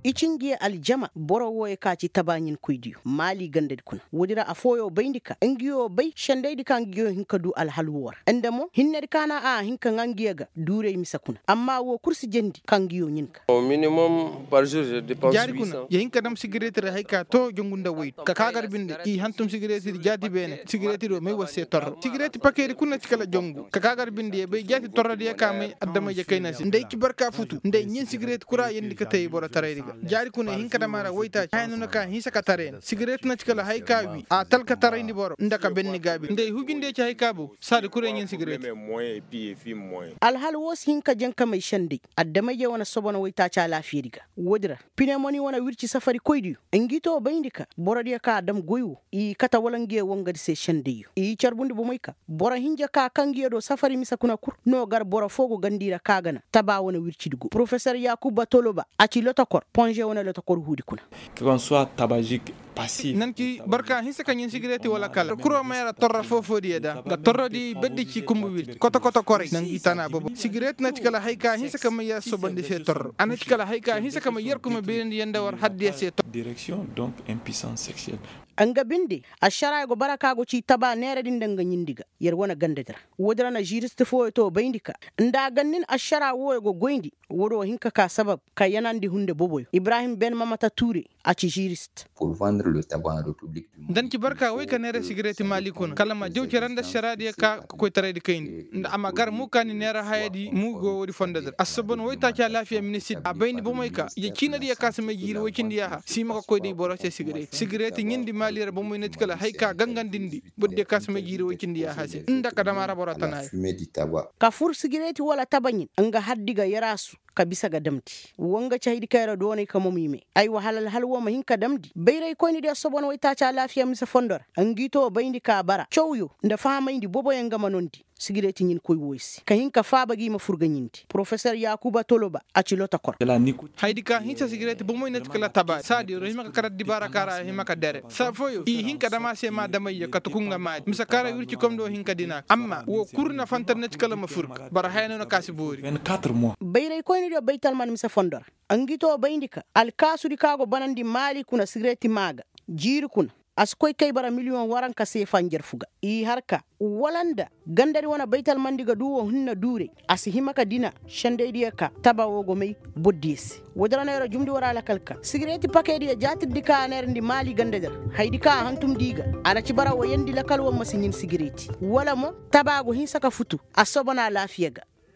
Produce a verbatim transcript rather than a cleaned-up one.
I ci ngi ye aljama boro wooyo ka ci tabaaɲinkoydiyo maali gandadi kuna. Woodi ra affooyo bayndi ka ngi yo bay sendaydi ka ngi yo hin ka du alhal woo ra nda mo hinnedi ka na a hin ka ŋaa ngi ye ga duuray mise kuna amma woo kul si jendi ka ngi yo ɲin ka. Jaari kuna ya hin ka dam sigireeti ra hay ka too jongu nda woy ka kaa gar binde i hantum sigireetidi jaati beene sigireetidi wo may war se torro sigireeti pakeedi kuna ci kala jongu ka kaa gar binde ya bay jaati torrodiyo ka may adama-ije kayna se nda ay ci barka futu nda ay ɲin sigireeti kura yendi ka tey borotaraydi ga jaari kuna ay hin ka dam a ra woytaaci haya no na ka hinsa ka taray ni sigireeti na ci kala hay ka wii a talka tarayndi boro nda ka benni gaabi nda ay hujundiyo ci hay ka bow saadi kura ay ɲin sigireeti. Alhal woo si hin ka jaŋ ka may senday adama-ije wane sobono woytaaci alaafiyadi ga. Woodi ra pinemoni wane wirci safarikoydiyo ngi too bayndi ka borodiyo ka a dam goy woo i kate wala ngi ye wangadi se sendayyo i carbundi bomey ka boro hinja ka kaŋ ngi ye do safari mise kuna kul no gar boro foo go gandi ra ka ga na taba wane wircidi go porofesor yaakuba toloba a ci lotokor ponze wane lotokor huudi kuna. Nan ci barka hinsa ka ɲin sigireeti wala kala kuro ma yara torra foo-foodiyo da nga torrodi berdi ci kumbu wirdi koto-koto koray na ngi tana bobo sigireeti na ci kala hay ka hinsa ka may yar sobandi se torro a na ci kala hay ka hinsa ka may yar kuma beerindi yanda war haddiya se torro. Nga binde ašaraa go bara ka go ci taba neeradi nda nga ɲindi ga yer wane gandadi ra. Woodi ra na žirist fooyo too bayndi ka nda a gannin ašaraa wooyo go goyndi woodi wo hin ka kaa sabab ka yanandi hunde boboyo ibrahim ben mamata tuure a ci žirist. Nda ni ci barka woy ka neera sigireeti maali kuna kala ma jaw cere nda ašaraadiyo ka ka koytaraydi kayndi nda a ma gar muukaani neera hayadi muugo woodi fondodi ra assobon woytaaci alaafiya ministir a bayndi bomey ka ije ciinadiyo ka si may jiiri woy cindi yaaha si hima ka koy day boro se sigireeti sigireeti ɲindi maali ra bomey na ci kala hay ka gangandindi borodiyo ka si may jiiri woy cindi yaaha se nda ka dam a ra boro tanaayo. Ka fur sigireeti wala taba ɲin nga haddi ga yaraasu ka bisa ga damndi. Wa nga ci haydi kaŋ yer doonay ka moom i me aywa hala alhal woo ma hin ka damndi bayraykoynidiyo sobono woytaaci alaafiya mise fondo ra. Ngi too bayndi ka bara cawyo nda fahamayndi boboyaŋ nga ma noondi sigireeti ɲinkoy wooyo se ka hin ka faaba gi ma fur ga ɲindi porofesor yaakuba toloba a ci lotokor. Haydi ka hinsa sigireeti bomoy na ti kala tabaari saadi yer wo hima ka kar addibaara ka ra a hima ka dere saa fooyo i hin ka dam a se ma damayyo ka tuku nga maali mise ka ra wirci komdo hin ka dina amma woo kul na fantar na ti kala ma fur ga boro haya no na ka si boori. Bayraykoynidiyo baytalman mise fondo ra ngi too bayndi ka alkaasudi ka go banandi maali kuna sigireeti maa ga jiiri kuna a si koy kay bara miliyoŋ waranka seefa njarfu ga i har ka wala nda gandadi wane baytalmandi ga du woo hinne duuray a si hima ka dina sendaydiyo ka taba woo go may bordiyo se. Woodi ra no yer jumndi war alakal ka sigireeti pakeediyo jaatirdi ka a neerandi maali gandadi ra hayadi ka a hantumndi i ga a na ci bara wayandi lakal woo ma si ɲin sigireeti wala mo taba go hinsa ka futu a soobana alaafiya ga.